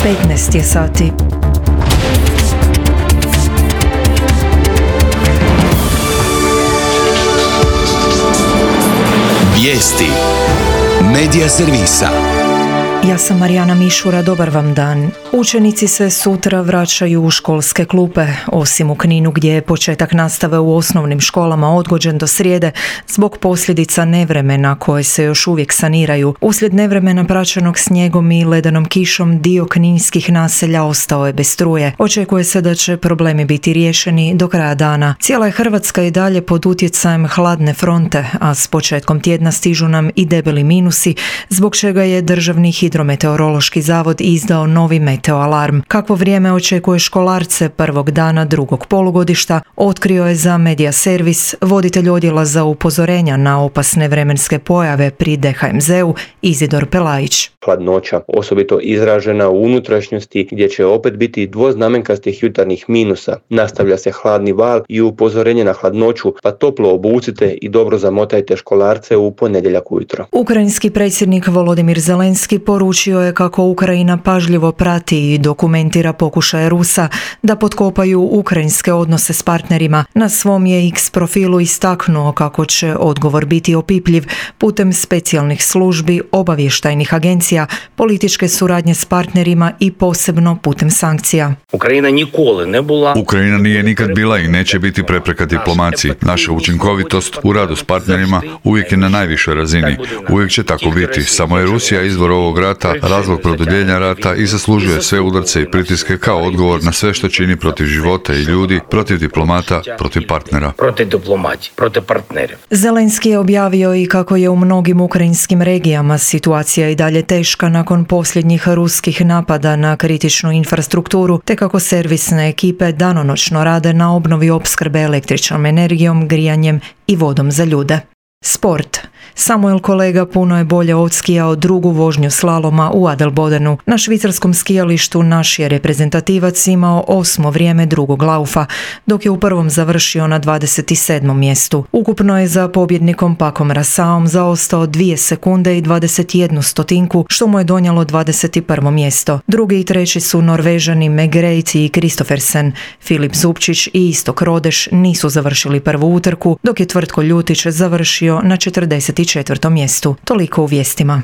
15 je sati. Vijesti Medija servisa. Ja sam Marijana Mišura, dobar vam dan. Učenici se sutra vraćaju u školske klupe, osim u Kninu gdje je početak nastave u osnovnim školama odgođen do srijede zbog posljedica nevremena koje se još uvijek saniraju. Uslijed nevremena praćenog snijegom i ledenom kišom dio kninskih naselja ostao je bez struje. Očekuje se da će problemi biti riješeni do kraja dana. Cijela je Hrvatska i dalje pod utjecajem hladne fronte, a s početkom tjedna stižu nam i debeli minusi, zbog čega je Državni hidrometeorološki zavod izdao novi meteoalarm. Kakvo vrijeme očekuje školarce prvog dana drugog polugodišta, otkrio je za Medija servis voditelj odjela za upozorenja na opasne vremenske pojave pri DHMZ-u Izidor Pelajić. Hladnoća, osobito izražena u unutrašnjosti gdje će opet biti dvoznamenkastih jutarnjih minusa. Nastavlja se hladni val i upozorenje na hladnoću, pa toplo obucite i dobro zamotajte školarce u ponedjeljak ujutro. Ukrajinski predsjednik Volodimir Zelenski poručio je kako Ukrajina pažljivo prati i dokumentira pokušaje Rusa da potkopaju ukrajinske odnose s partnerima. Na svom je X profilu istaknuo kako će odgovor biti opipljiv putem specijalnih službi, obavještajnih agencija, političke suradnje s partnerima i posebno putem sankcija. Ukrajina nije nikad bila i neće biti prepreka diplomaciji. Naša učinkovitost u radu s partnerima uvijek je na najvišoj razini. Uvijek će tako biti. Samo je Rusija izvor ovog rata, razlog produljenja rata i zaslužuje sve udarce i pritiske kao odgovor na sve što čini protiv života i ljudi, protiv diplomata, protiv partnera. Zelenski je objavio i kako je u mnogim ukrajinskim regijama situacija i dalje teška nakon posljednjih ruskih napada na kritičnu infrastrukturu, te kako servisne ekipe danonoćno rade na obnovi opskrbe električnom energijom, grijanjem i vodom za ljude. Sport. Samuel Kolega puno je bolje odskijao drugu vožnju slaloma u Adelbodenu. Na švicarskom skijalištu naš je reprezentativac imao 8. vrijeme drugog laufa, dok je u prvom završio na 27. mjestu. Ukupno je za pobjednikom Pakom Rasaom zaostao 2 sekunde i 21 stotinku, što mu je donijelo 21. mjesto. Drugi i treći su Norvežani Megrejt i Kristoffersen. Filip Zupčić i Istok Rodeš nisu završili prvu utrku, dok je Tvrtko Ljutić završio na 44. mjestu. Toliko u vijestima.